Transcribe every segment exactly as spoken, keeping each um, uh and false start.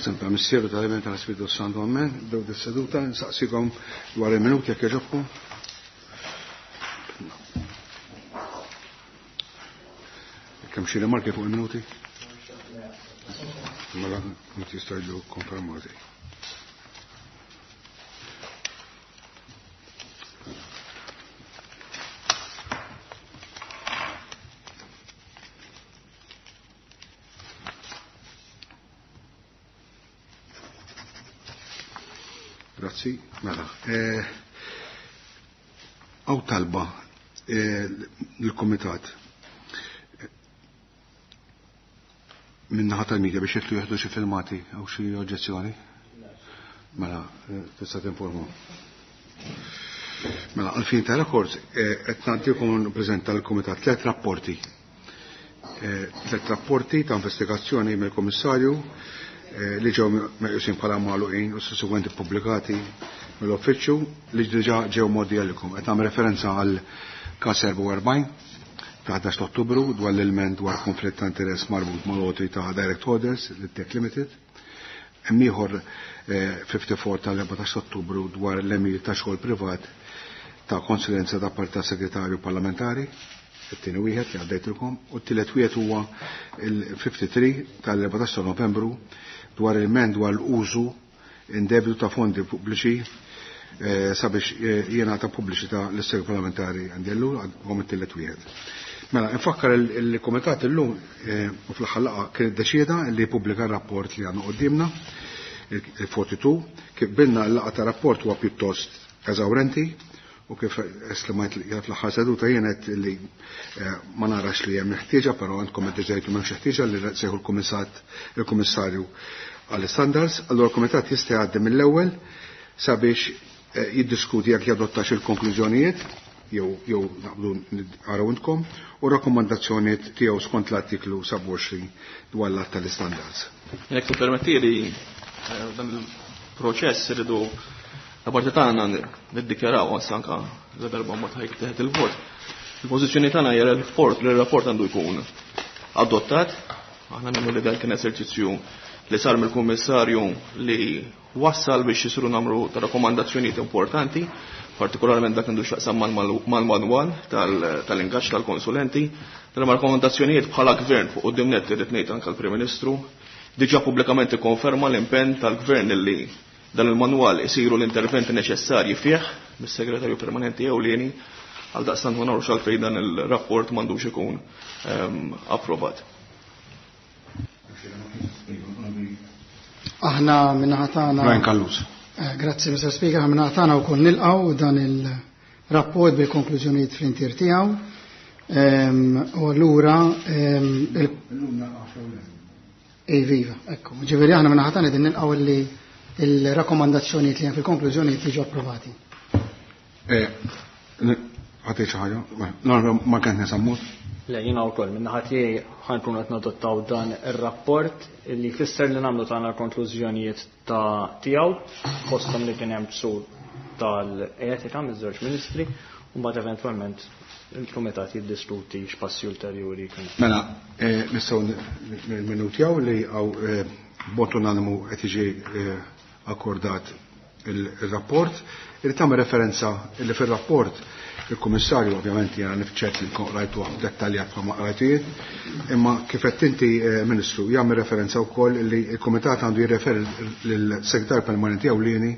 Fl-isem tal-Missieru tal-Iben tal-Ispirtu Santu, Amen. Nibdew dis-seduta, nsaqsikom dwar il-minuti jekk jogħġobkom. Kemm xi rimarki fuq il-minuti? Mela, minuti jistgħu jiġu konfermati. Grazzi, mela. Għaw talba l-Komitat minnaħa tal-media biex jitlu jieħdu xi filmati għaw xi oġġezzjoni? Mela, tista' tinforma. Mela, għalfin ta' rekords, qed nagħtikom nippreżenta l-Kumitat tliet rapporti. Tliet rapporti ta' investigazzjoni mill-Kummissarju li ġew meqjusin bħala magħluqin u sussegwenti pubblikati mill-Uffiċċju li diġà ġew modi għalikom. Qed nagħmel referenza għal każ erbgħa u erbgħin ta' ħdax Ottubru dwar l-ilment dwar konflitt ta' interess marbut mal-lotri ta' Direct Orders li Tech Limited. Hemm ieħor ħamsa u ħamsin tal-erbatax Ottubru dwar l-emil ta' xogħol privat ta' konsulenza da parti ta' segretarju parlamentari, it-tieni wieħed li għaddejtilkom, u t-tielet wieħed huwa il-ħamsa u ħamsin tal-erbatax ta' Novembru dwar il-ment dwar l-użu indebitu ta' fondi pubbliċi sabiex jingħata pubbliċità lis-segretarju parlamentari għandellu għom it-tielet wieħed. Mela, nfakkar il-komitat illum u fl-aħħar laqgħa kien iddeċieda li jippubblika r-rapport li għandna qudiemna, il-quaranta-due, kif bilna l-laqgħa ta' rapport huwa pjuttost eżawrenti u kif eslimajt li fl-aħħar seduta jien qed li ma narax li hemm ħtieġa, però għandkom iddeċidejtu m'hemmx ħtieġa li sejħu l-kummissat il-kummissarju għall-standards, allura l-kumitat jista' jgħaddi mill-ewwel sabiex jiddiskuti jekk jadottax il-konklużjonijiet jew jew naqblu naraw intkom u rakkomandazzjonijiet tiegħu skont l-artiklu sebgħa u għoxrin dwar l-att tal-standards. Jekk tippermettili dan il-proċess irridu la parti tagħna niddikjaraw anke la darba ma tħajk teħed il-vot. Il-pożizzjoni tagħna hija l-rapport li r-rapport għandu jkun adottat. Aħna nagħmlu li dan kien eżerċizzju li sar mill-Kummissarju li wassal biex jisiru namru ta' rakkomandazzjonijiet importanti, partikolarment dak għandu x'jaqsam mal-manwal tal-ingaġġ tal-konsulenti. Dan ma' rakkomandazzjonijiet bħala gvern fuq quddiem nett irid ngħid anke l-Prim Ministru diġà pubblikament ikkonferma l-impenn tal-gvern li dan il-manwal isiru l-interventi neċessarji fih mis-segretarju permanenti ewlieni għal daqstant ma nagħrux għalfejn dan il-rapport m'għandux ikun approvat. Aħna minnaħa tagħna Brian Callus. Grazzi, Mister Speaker, aħna minnaħa tagħna wkoll nilqgħu dan il-rapport bil-konklużjonijiet fl-intier tiegħu. U allura Ej, viva, ekku. Ġifieri aħna minnaħa tagħna qegħdin nilqgħu li il-rakkomandazzjonijiet li hemm fil-konklużjonijiet jiġu approvati. Ħatej xi ħaġa? No, ma kien nisammut. Le, jiena wkoll min-naħa tiegħi ħankun qed nadottaw dan ir-rapport li jfisser li nagħmlu tagħna l-konklużjonijiet ta' tiegħu fosthom li kien hemm ksur tal-etika miż-żewġ ministri u mbagħad eventwalment il-kumitat jiddiskuti x'passi ulterjuri jkun. Mela, nistgħu minutjaw li hawn b'mod unanimu qed jiġi akkordat il-rapport. Irid tagħmel referenza li fir-rapport il-Kummissarju ovvjament jiena nifċert li rajtu dettaljat bħalma qrajtijiet, imma kif qed inti Ministru jagħmel referenza wkoll li l-Kumitat għandu jirreferi lill-Segretarju Permanenti Ewlieni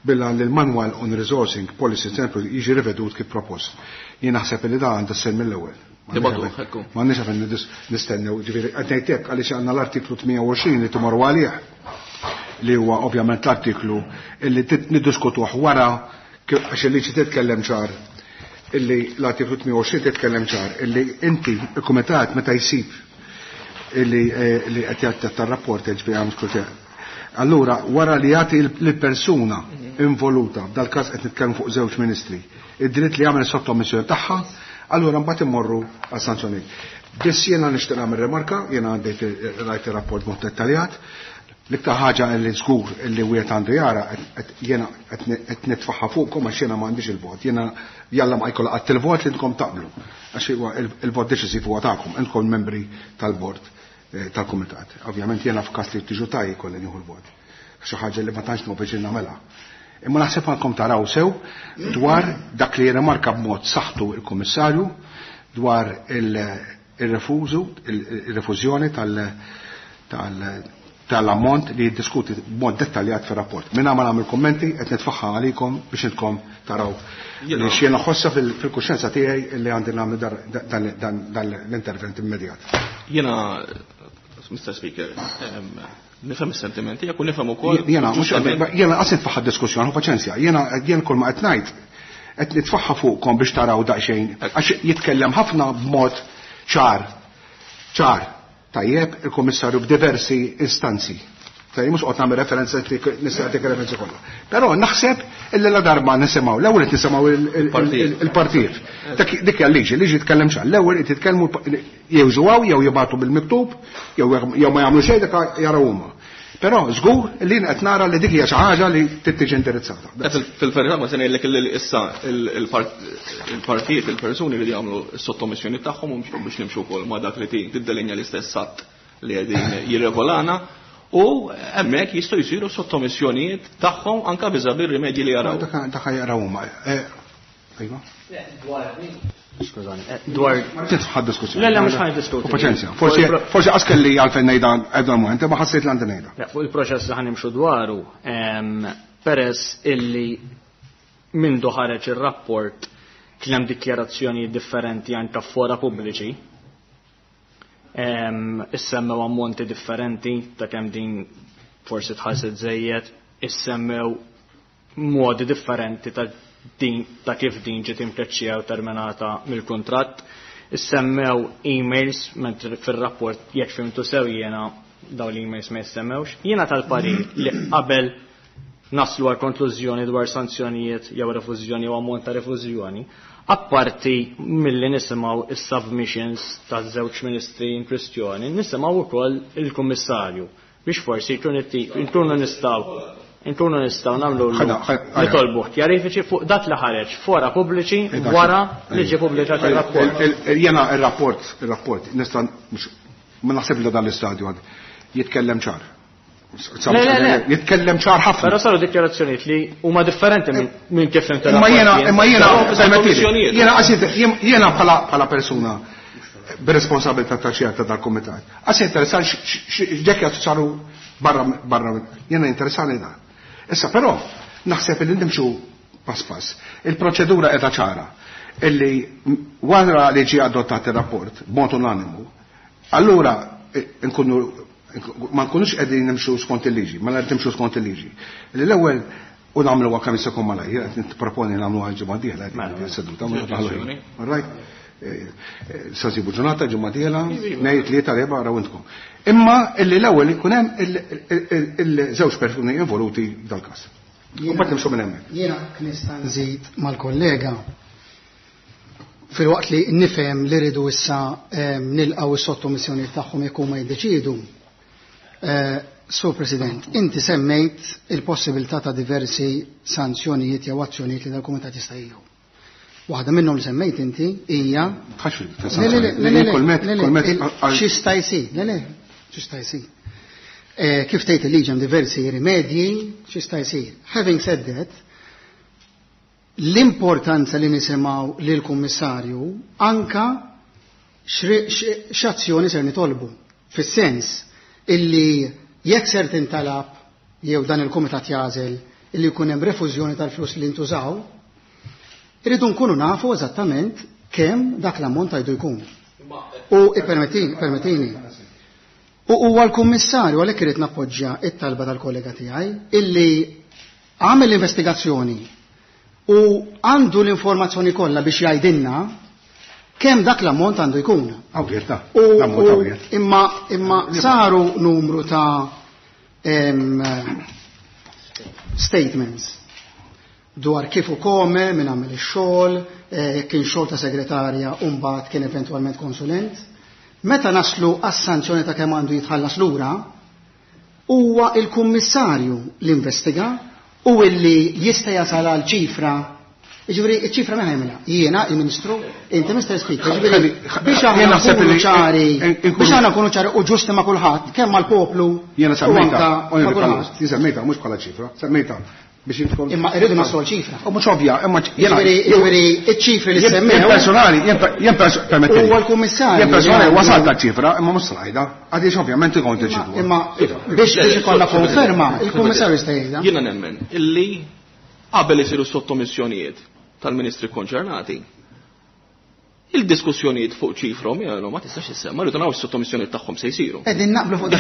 billa li l-Manual on Resourcing Policy Center jiġi rivedut kif propost. Jien naħseb li da għandha ssir mill-ewwel. Ma nix għafin nistennew, ġifieri qed ngħid hekk għaliex għandna l-artiklu tmien u għoxrin li timorru għalih li huwa ovvjament l-artiklu illi niddiskutuh wara għax il-liġi titkellem ċar illi l-artiklu tmien u għoxrin titkellem ċar illi inti il-kumitat meta jsib illi li qed jgħaddi tar-rapport ġifieri għam skrutinju. Allura wara li jagħti lill-persuna involuta, f'dal-każ qed nitkellmu fuq żewġ ministri, id-dritt li jagħmel sottomissjoni tagħha, allura mbagħad immorru għas sanzjonijiet. Biss jiena nixtieq nagħmel rimarka, jiena għandejt rajt ir-rapport mod dettaljat. L-iktar ħaġa li żgur li wieħed għandu jara jiena qed nitfaħħa fuqkom għax jiena m'għandix il-vot. Jiena jalla ma jkollha qatt il-vot li intkom taqblu. Għax huwa il-vot deċisiv huwa tagħkom, intkom membri tal-bord tal-kumitat. Ovvjament jiena f'każ li tiġu taj jkolli nieħu l-vot. Xi ħaġa li ma tantx nieħu biex nagħmilha. Imma naħseb għandkom taraw sew dwar dak li jirrimarka b'mod saħħtu il-Kummissarju dwar il-refużu, il-refużjoni tal-ammont li jiddiskuti b'mod dettaljat fir-rapport. Minna ma nagħmel kummenti qed nitfaħħa għalikom biex intkom taraw li x'jiena ħossa fil-kuxjenza tiegħi li għandi nagħmel dan l-intervent immedjat. Jiena, Mister Speaker, nifhem is-sentimenti tiegħek u nifhem ukoll. Jiena mhux jiena qas nitfaħħa diskussjoni, paċenzja. Jiena jien kull ma qed ngħid qed nitfaħħa fuqkom biex taraw daqsxejn għax jitkellem ħafna b'mod ċar. Ċar. Tajjeb il-Kummissarju b'diversi istanzi. Tajjeb mhux qed nagħmel referenza nista' nagħtik referenza kollha. Però naħseb illi la darba nisimgħu, l-ewwel qed nisimgħu il-partijiet. Dik hija l-liġi, liġi tkellem ċar. L-ewwel qed jitkellmu jew ġuwaw jew jibgħatu bil-miktub jew jew ma jagħmlu xejn dak jaraw huma. Però żgur li qed nara li dik hija xi ħaġa li trid tiġi indirizzata. Fil-verità ma se ngħidlek li issa il-partijiet, il-persuni li jagħmlu s-sottomissjoni tagħhom biex nimxu wkoll ma' dak li tiddelinja l-istess att li qegħdin jirregolana u hemmhekk jistgħu jsiru sottomissjonijiet tagħhom anke viżavi r-rimedji li jaraw. Dak jaraw huma. Ejwa. Skużani, dwar titħad diskussjoni. Le, le, mhux ħan diskuti. Paċenzja. Forsi forsi qas kelli għalfejn ngħidha għedha moment, ma ħassejt li għandi ngħidha. Fuq il-proċess li ħanimxu dwaru, peress illi mindu ħareġ ir-rapport kien hemm dikjarazzjoni differenti anke fora pubbliċi. Issemmew ammonti differenti ta' kemm din forsi tħallset żejjed, issemmew modi differenti ta' din ta' kif din ġiet imkeċċija u terminata mill-kuntratt. Issemmew emails mentri fir-rapport jekk fimtu sew jiena dawn l-emails ma jissemmewx. Jiena tal-parir li qabel naslu għal konklużjoni dwar sanzjonijiet jew refużjoni jew ammont ta' refużjoni, apparti milli nisimgħu is-submissions taż-żewġ ministri in kwistjoni, nisimgħu wkoll il-Kummissarju biex forsi nkunu nistgħu nkunu nistgħu nagħmlu nitolbu kjarifiċi fuq dak li ħareġ fora pubbliċi wara li ġie pubblikat ir-rapport. Jiena ir-rapport, ir-rapport nista' ma naħseb li dan l-istadju għad jitkellem ċar. Jitkellem ċar ħafna. Però saru dikjarazzjonijiet li huma differenti minn kif inti. Imma jiena imma jiena jiena jiena bħala bħala persuna bir-responsabilità ta' xi ta' dal-kumitat. Għas interessan x'ġekk saru barra barra jiena interessani dan. Issa però naħseb li nimxu pass pass. Il-proċedura qiegħda ċara illi wara li ġie adottat ir-rapport b'mod unanimu, allura nkunu ma nkunux qegħdin nimxu skont il-liġi, ma qed nimxu skont il-liġi. Li l-ewwel u nagħmluha kemm jista' jkun malajr, qed nipproponi nagħmluha l-ġimgħa d-dieħla seduta ma nagħmlu. All right? Sa sibu ġurnata ġimgħa dieħla, ngħid tlieta erba' araw intkom. Imma illi l-ewwel ikun hemm il-żewġ persuni involuti f'dal-każ. U mbagħad nimxu minn hemmhekk. Jiena nista' nżid mal-kollega fil-waqt li nifhem li rridu issa nilqgħu is-sottomissjoni tagħhom jekk huma jiddeċiedu. Sur President, inti semmejt il-possibilità ta' diversi sanzjonijiet jew azzjonijiet li dal-kumitat jista' jieħu. Waħda minnhom li semmejt inti hija x'jista' jsir, le le, x'jista' jsir. Kif tgħid il-liġi hemm diversi rimedji, x'jista' jsir. Having said that, l-importanza li nisimgħu lill-Kummissarju anka x'azzjoni ser nitolbu. Fis-sens illi jekk ser tintalab jew dan il-kumitat jażel illi jkun hemm refużjoni tal-flus li ntużaw, irridu nkunu nafu eżattament kemm dak l-ammont għajdu jkun. U ippermettini, permettini. U huwa l-Kummissarju għalhekk irid nappoġġja it-talba tal-kollega tiegħi illi għamel l-investigazzjoni u għandu l-informazzjoni kollha biex jgħidilna kemm dak l-ammont għandu jkun. Imma imma saru numru ta' statements dwar kif u kome, min għamel ix-xogħol, kien xogħol ta' segretarja u mbagħad kien eventwalment konsulent. Meta naslu għas-sanzjoni ta' kemm għandu jitħallas lura, huwa il-kummissarju li investiga u illi jista' jasal għal ċifra Jiġifieri iċ-ċifra minn ħajmilha. Jiena il-Ministru, inti Mister Speaker, jiġifieri biex aħna nkunu ċari, biex aħna nkunu ċari u ġusti ma' kulħadd, kemm mal-poplu. Jiena semmejta, jien semmejta mhux bħala ċifra, semmejta biex intkom. Imma irridu naslu ċifra. U mhux ovvja, imma jiena jiġifieri iċ-ċifri li semmew. Jien personali, jien permettili. Huwa l-kummissarju. Jien personali wasalt ċifra, imma mhux slajda, għaliex ovvjament ikun tiġi. Imma biex biex ikollna konferma, il-kummissarju jista' jgħidha. Jiena nemmen illi qabel isiru sottomissjonijiet tal-ministri konċernati, il-diskussjonijiet fuq ċifrom jgħu ma tistax issemma, rridu naraw is-sottomissjonijiet tagħhom se jsiru. Qegħdin naqblu fuq dak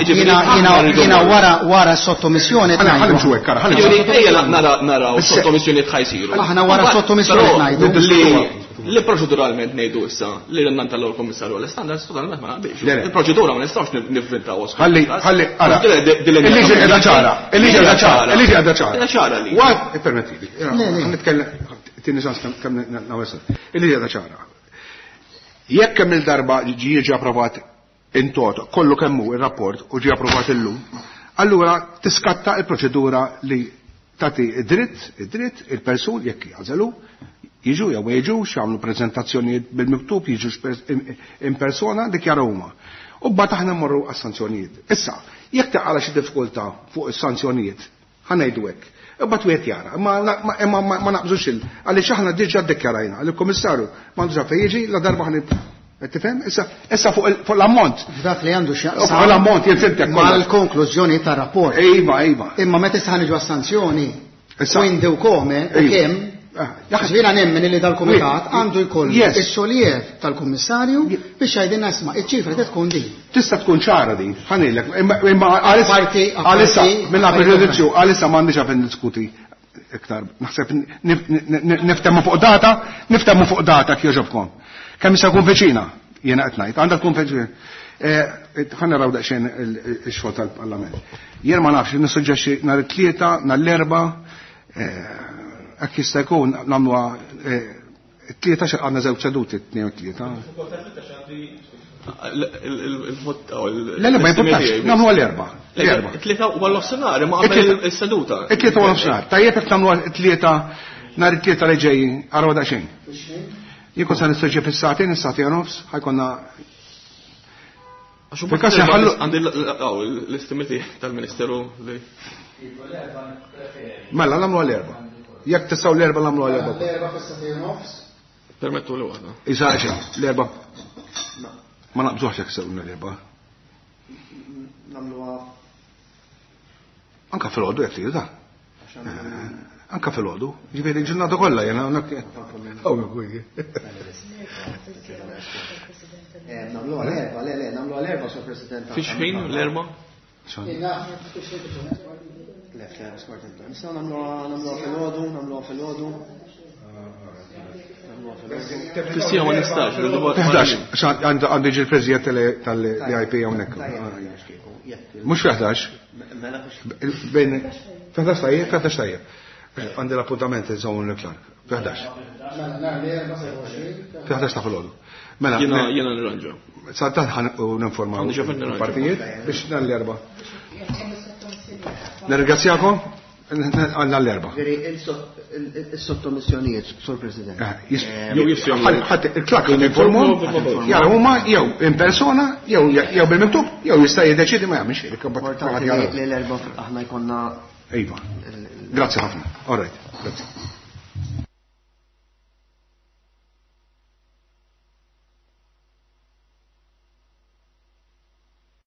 jiena wara wara s-sottomissjoni ħalli mxu hekk, ħalli. Ejja naraw sottomissjonijiet ħa jsiru. Aħna wara sottomissjoni ngħidu. Li proċeduralment ngħidu issa li l tal l-Kummissarju għall-Standards totalment ma naqbilx. Il-proċedura ma nistgħux nivvintaw. Ħalli ħalli ara. Il-liġi qiegħda ċara, il-liġi qiegħda ċara, il-liġi qiegħda ċara. Qiegħda ċara li. Wad ippermettili. Nitkellem tieni ċans kemm nawesel. Il-liġi qiegħda ċara. Jekk kemm il-darba ġie jiġi approvat in toto, kollu kemm hu ir-rapport u ġie approvat illum, allura tiskatta il-proċedura li tagħti id-dritt, id-dritt il-persun jekk jażelu jiġu jew ma jiġux, jagħmlu preżentazzjonijiet bil-miktub, jiġu in persona, dikjaraw huma. U mbagħad aħna mmorru għas-sanzjonijiet. Issa, jekk taqala xi diffikultà fuq is-sanzjonijiet, ħa ngħidu hekk. Imbagħad wieħed jara, imma ma naqbżux il għaliex aħna diġà ddikjarajna li l-Kummissarju m'għandux fejn jiġi la darba ħa tifhem? Issa issa fuq l-ammont. F'dak li għandu x'jaqsam. Fuq l-ammont jien fimtek mal-konklużjoni tar-rapport. Iva, iva. Imma meta issa ħaniġu għas-sanzjoni, quindi u come u kemm. Ġifieri nemmen li dal-kumitat għandu jkollu is-soliev tal-kummissarju biex jgħidilna isma' iċ-ċifra trid tkun din. Tista' tkun ċara din, ħanejlek, imma għalissa minn preġudizzju għalissa m'għandix għalfejn niddiskuti iktar. Naħseb niftehmu fuq data, niftehmu fuq data kif jogħġobkom. Kemm issa jkun viċina, jiena qed ngħid, għandha tkun viċina. Ħa naraw daqsxejn ix-xogħol tal-Parlament. Jien ma nafx, nissuġġerixxi nhar it-tlieta, nhar l-erba', hekk jista' jkun nagħmluha t-tlieta xi għandna żewġ seduti t-tnejn u t-tlieta. Le le ma jimpurtax, nagħmluha l-erba'. It-tlieta u għall-nofsinhar, imma qabel is-seduta. It-tlieta u għall-nofsinhar. Tajjeb jekk nagħmluha t-tlieta nhar it-tlieta li ġejjin, araw daqsxejn. Jien kont se nissuġġi fis-sagħtejn, is-sagħtejn u nofs, ħajkonna għandi l-istimiti tal-Ministeru li. Mela nagħmluha l-erba'. Jekk tistgħu l-erba' nagħmluha l-erba'. L-erba' fis-sagħtejn u nofs. Permettu li waħda. Isa l-erba'. Ma naqbżuhx jekk sewna l-erba'. Nagħmluha anka fil-għodu jekk tridu da. Anka fil-għodu. Ġifieri ġurnata kollha jiena hawnhekk. Nagħmluha l-erba', le le, nagħmluha l-erba' Sur President. Fix ħin l-erba'? Le, le, nistgħu nagħmluha fil-għodu, nagħmluha fil-għodu. Fis-sija ma nistax. Ħdax, għandu jiġi l-President tal-I P hawnhekk. Mhux fi ħdax. Bejn fi ħdax tajjeb, fi ħdax tajjeb. Għandi l-appuntament iżommu l-Clark. Fi ħdax. Fi ħdax ta' filgħodu. Mela, jiena nirranġa. Sa ħan ninformaw il-partijiet biex nhar l-erba'. Nirringrazzjakom għandna l-erba'. Is-sottomissjonijiet, Sur President. Ħadd il-Clark informhom, jara huma jew in persona jew jew bil-miktub jew jista' jiddeċiedi ma jagħmilx xejn. Li l-erba' aħna jkollna. Iva. Grazzi ħafna. All right. Grazzi.